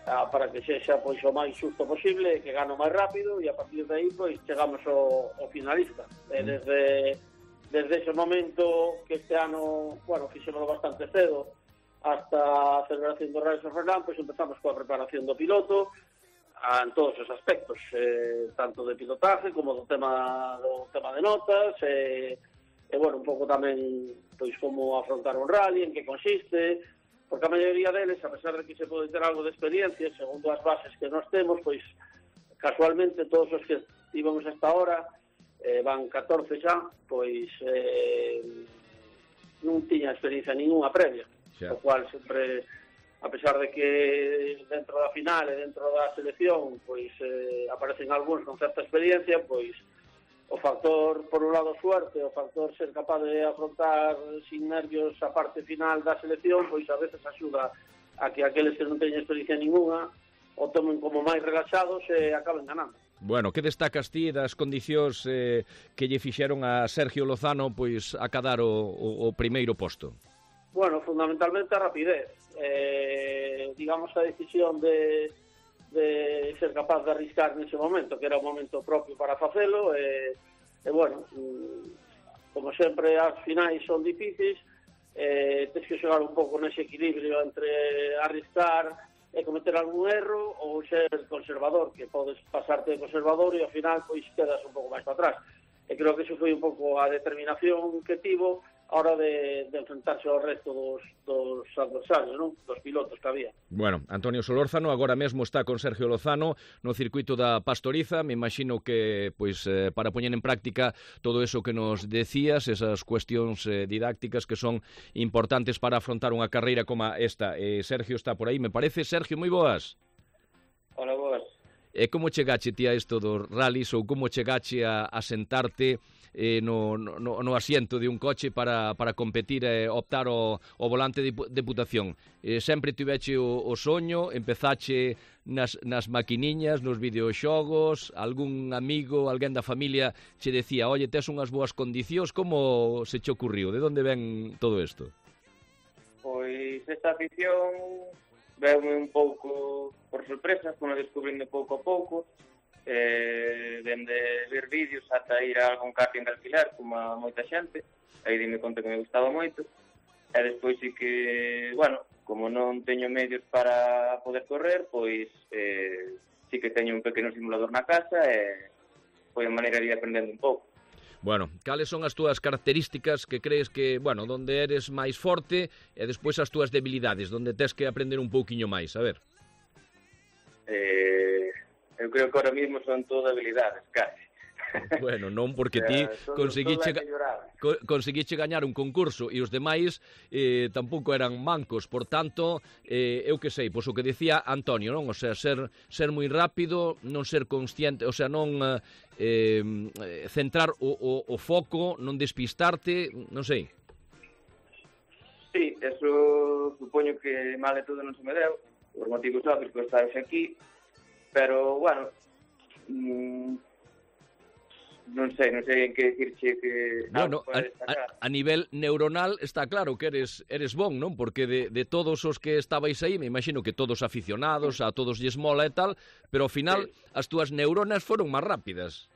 para que sexa pois o máis xusto posible, que gane o máis rápido, e a partir de aí pois chegamos ao finalista. Desde ese momento, que este ano, bueno, fixémoslo bastante cedo, hasta a celebración do Rally San Froilán, pois empezamos coa preparación do piloto en todos os aspectos, tanto de pilotaje como do tema de notas, bueno, un pouco tamén pois como afrontar un rally, en que consiste, porque a maioría deles, a pesar de que se pode ter algo de experiencia, segundo as bases que nós temos, pois casualmente todos os que íbamos hasta ahora, van 14 xa, pois non tiña experiencia ninguna previa, o cual sempre, a pesar de que dentro da final e dentro da selección pois aparecen algúns con certa experiencia, pois o factor, por un lado, suerte, o factor ser capaz de afrontar sin nervios a parte final da selección, pois a veces axuda a que aqueles que non teñen experiencia ninguna o tomen como máis relaxados e acaben ganando. Bueno, que destacas ti das condicións que lle fixeron a Sergio Lozano pois a cadar o primeiro posto? Bueno, fundamentalmente a rapidez. Digamos, a decisión de ser capaz de arriscar nese momento, que era o momento propio para facelo, e bueno, como sempre as finais son difíciles, tens que xogar un pouco nese equilibrio entre arriscar e cometer algún erro ou ser conservador, que podes pasarte de conservador e ao final pois quedas un pouco máis para atrás. E creo que eso foi un pouco a determinación que tivo a hora de enfrentarse ao resto dos adversarios, non? Dos pilotos que había. Bueno, Antonio Solórzano agora mesmo está con Sergio Lozano no circuito da Pastoriza. Me imagino que pois para poñer en práctica todo eso que nos decías, esas cuestións didácticas que son importantes para afrontar unha carreira como esta. Sergio está por aí, me parece. Sergio, moi boas. Hola, boas. E como chegache ti a isto dos rallies, ou como chegache a sentarte no asiento de un coche para competir e optar o volante de Deputación? Sempre tiveche o soño, empezache nas maquiniñas, nos videoxogos, algún amigo, alguén da familia che decía, oye, tes unhas boas condicións, como se che ocurriu? De onde ven todo isto? Pois esta afición veume un pouco por sorpresa, como descubrindo pouco a pouco, dende ver vídeos ata ir a algún karting de alquiler, como a moita xente, aí dime conta que me gustaba moito, e despois sí que, bueno, como non teño medios para poder correr, pois sí que teño un pequeno simulador na casa e foi a maneira de ir aprendendo un pouco. Bueno, cales son as túas características que crees que, bueno, donde eres máis forte e despois as túas debilidades, donde tes que aprender un pouquiño máis, a ver? Eu creo que ahora mismo son todo habilidades, casi. Bueno, non, porque ti conseguiche gañar un concurso e os demais tampouco eran mancos, por tanto, eu que sei, pois o que decía Antonio, non? O sea, ser moi rápido, non ser consciente, o sea, non centrar o foco, non despistarte, non sei. Sí, eso supoño que mal de todo non se me deu, por motivos obvios que estás aquí, pero, bueno, non sei en que dicirche que... Bueno, a nivel neuronal está claro que eres bon, non? Porque de todos os que estabais aí, me imagino que todos aficionados, a todos lles mola e tal, pero ao final as túas neuronas foron máis rápidas.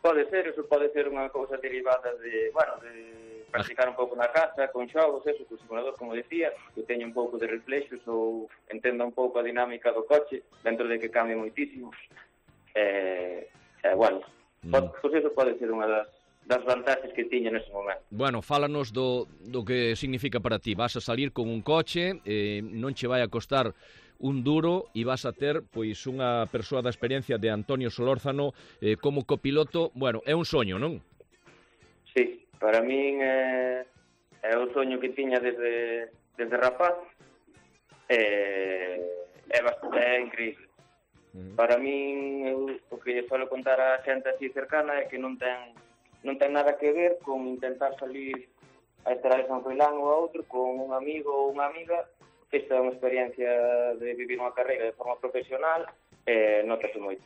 Pode ser, eso pode ser unha cousa derivada de, bueno, de practicar un pouco na casa, con xogos, eso, con simulador, como decía, que teño un pouco de reflexos ou entenda un pouco a dinámica do coche, dentro de que cambia moitísimo. Bueno, pois eso pode ser unha das vantaxes que tiña nese momento. Bueno, fálanos do que significa para ti. Vas a salir con un coche, non che vai a costar un duro e vas a ter pois unha persoa da experiencia de Antonio Solórzano como copiloto. Bueno, é un soño, non? Sí, para min é o soño que tiña desde rapaz. É increíble. Para min, o que suelo contar a xente así cercana é que non ten nada que ver con intentar salir a Estrada de San Froilán ou a outro con un amigo ou unha amiga. Esta é unha experiencia de vivir unha carreira de forma profesional e notase moito.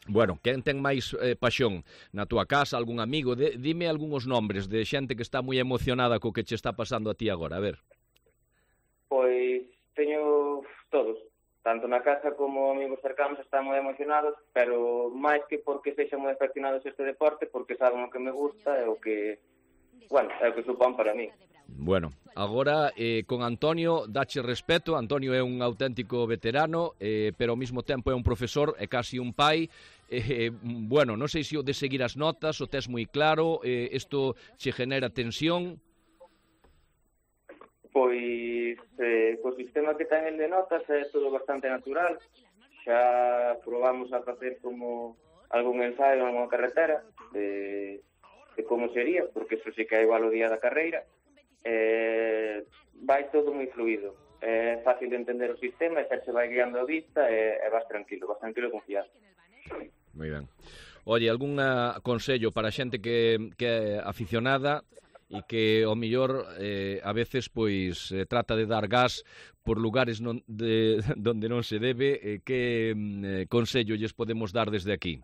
Bueno, quen ten máis paixón na túa casa, algún amigo? Dime algúns nombres de xente que está moi emocionada co que che está pasando a ti agora, a ver. Pois teño todos. Tanto na casa como amigos cercanos están moi emocionados, pero máis que porque sexan moi afeccionados a este deporte, porque saben o que me gusta e o que, bueno, é o que supón para mí. Bueno, agora con Antonio dache respeto. Antonio é un auténtico veterano, pero ao mesmo tempo é un profesor, é casi un pai. Bueno, non sei se o de seguir as notas, o tes moi claro, isto che genera tensión. Pois, co sistema que ten el de notas é todo bastante natural. Xa probamos a facer como algún ensaio en unha carretera de como sería, porque eso sí que é igual o día da carreira. Vai todo moi fluido. É fácil de entender o sistema, e xa se vai guiando a vista e vas tranquilo e confiado. Moi ben. Oye, algún consello para a xente que é aficionada e que ao mellor a veces pois trata de dar gas por lugares donde non se debe, que consello lles podemos dar desde aquí?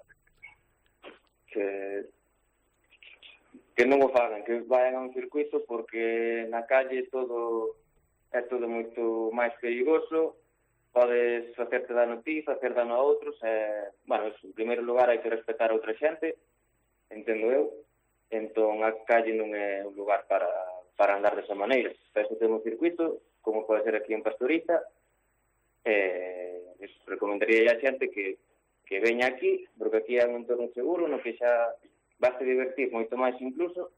Que non o fagan, que vayan a un circuito, porque na calle é todo moito máis perigoso, podes facerte dano a ti, facer dano a outros, bueno, en primeiro lugar hai que respetar a outra xente, entendo eu. Entón a calle non é un lugar para andar desa maneira. Para eso temos circuito, como pode ser aquí en Pastoriza, recomendaría a xente que veña aquí, porque aquí é un entorno seguro, no que xa vas a divertir moito máis incluso,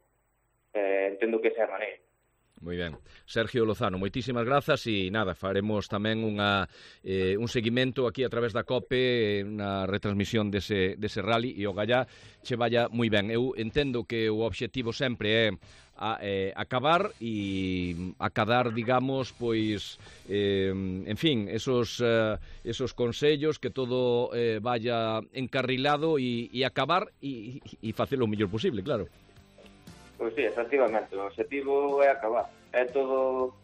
entendo que esa é a maneira. Moi ben. Sergio Lozano, moitísimas grazas e nada, faremos tamén un seguimento aquí a través da COPE, unha retransmisión dese rally e o gallá che vaya moi ben. Eu entendo que o obxectivo sempre é acabar e acadar, digamos, pois, en fin, esos consellos, que todo vaya encarrilado e acabar e facelo o mellor posible, claro. Pois sí, efectivamente, o objetivo é acabar. É todo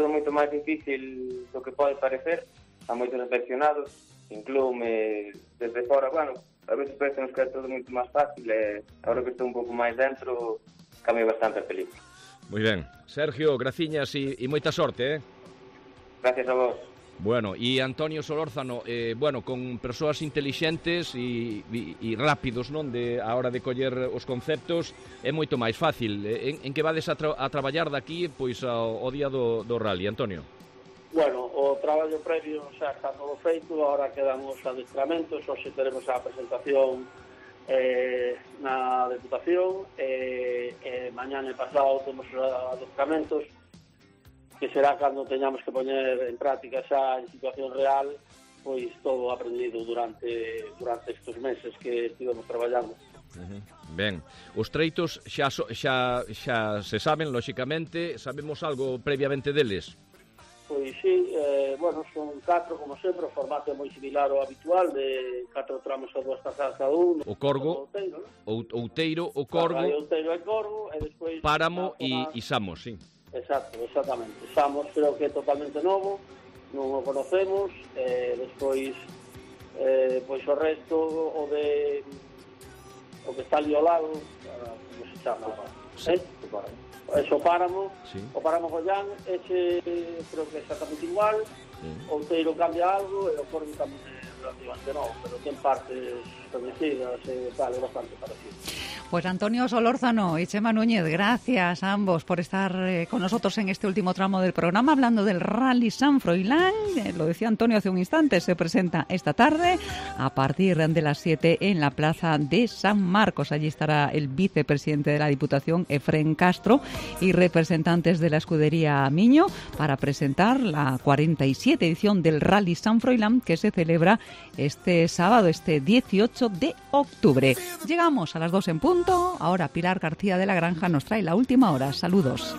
moito máis difícil do que pode parecer. Há moitos afeccionados, inclúome desde fora, bueno, a veces parece que é todo moito máis fácil, e agora que estou un pouco máis dentro, cambia bastante a película. Moi ben. Sergio, graciñas e moita sorte, Gracias a vos. Bueno, e Antonio Solórzano, bueno, con persoas intelixentes e rápidos, non, a hora de coller os conceptos, é moito máis fácil. En que vades a traballar daqui, pois, ao día do rally, Antonio? Bueno, o traballo previo xa está todo feito, agora quedan os adestramentos, hoxe teremos a presentación na Deputación, mañana e pasado temos os adestramentos, que será cando teñamos que poñer en práctica xa en situación real, pois todo aprendido durante estes meses que estivemos traballando. Ben, os treitos xa se saben, lóxicamente, sabemos algo previamente deles? Pois sí, bueno, son 4, como sempre, o formato é moi similar ao habitual, de 4 tramos a 2 pasadas cada un. O corgo, outeiro, o corgo, outeiro e corgo, e despois páramo e Samos, sí. Exactamente. Samos creo que é totalmente novo, non o conocemos, despois pois o resto, o que está ali ao lado, como se chama? Sí. Eso páramo, sí. O páramo Gollán, ese creo que é exactamente igual, sí. O outeiro cambia algo e o corgo tamén é relativamente novo, pero ten partes conocidas e tal, é bastante parecido. Pues Antonio Solórzano y Chema Núñez, gracias a ambos por estar con nosotros en este último tramo del programa, hablando del Rally San Froilán. Lo decía Antonio hace un instante, se presenta esta tarde a partir de las 7 en la plaza de San Marcos. Allí estará el vicepresidente de la Diputación, Efrén Castro, y representantes de la escudería Miño para presentar la 47 edición del Rally San Froilán, que se celebra este sábado, este 18 de octubre. Llegamos a las 2 en punto. Ahora Pilar García de la Granja nos trae la última hora. Saludos.